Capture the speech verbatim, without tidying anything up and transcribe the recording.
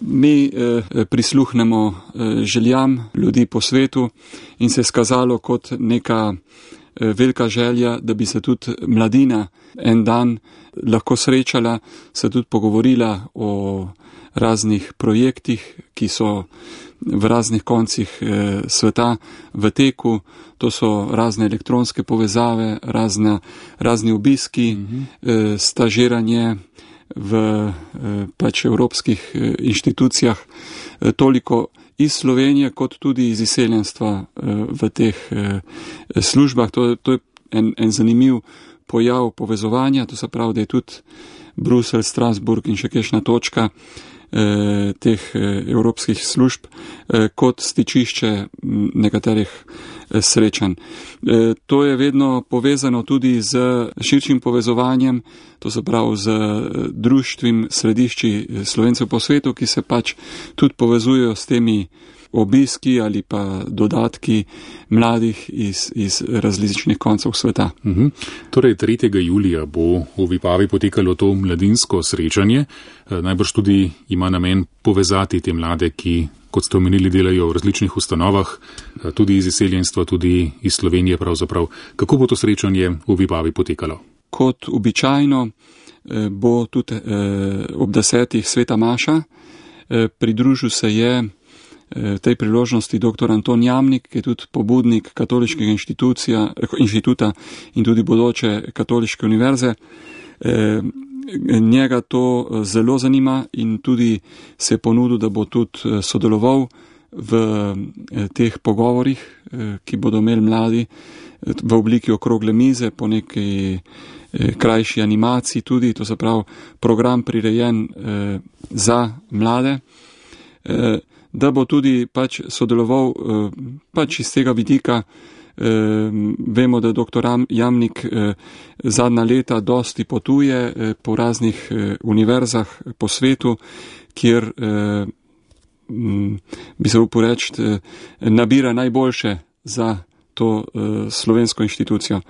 Mi eh, prisluhnemo eh, željam ljudi po svetu in se je skazalo kot neka eh, velika želja, da bi se tudi mladina en dan lahko srečala, se tudi pogovorila o raznih projektih, ki so v raznih koncih eh, sveta v teku. To so razne elektronske povezave, razne, razni obiski, mm-hmm. eh, stažiranje v eh, pač evropskih eh, inštitucijah, eh, toliko iz Slovenije kot tudi iz izseljenstva eh, v teh eh, službah. To, to je en, en zanimiv pojav povezovanja, to se pravi, da je tudi Bruselj, Strasburg in še kakšna točka eh, teh eh, evropskih služb eh, kot stičišče nekaterih eh, srečanj. Eh, to je vedno povezano tudi z širšim povezovanjem, to se pravi z društvim središči Slovencev po svetu, ki se pač tudi povezujejo s temi obiski ali pa dodatki mladih iz, iz različnih koncev sveta. Uhum. Torej, tretjega julija bo v Vipavi potekalo to mladinsko srečanje. Najbrž tudi ima namen povezati te mlade, ki, kot ste omenili, delajo v različnih ustanovah, tudi iz izseljenstva, tudi iz Slovenije pravzaprav. Kako bo to srečanje v Vipavi potekalo? Kot običajno bo tudi ob desetih sveta maša. Pridružil se je tej priložnosti dr. Anton Jamnik, ki je tudi pobudnik katoliškega inštituta in tudi bodoče katoliške univerze. Njega to zelo zanima in tudi se je ponudil, da bo tudi sodeloval v teh pogovorih, ki bodo imeli mladi v obliki okrogle mize, po neki krajši animaciji tudi, to se pravi program prirejen za mlade, da bo tudi pač sodeloval pač iz tega vidika. Vemo, da dr. Jamnik zadnja leta dosti potuje po raznih univerzah po svetu, kjer bi se upal reči, nabira najboljše za to slovensko inštitucijo.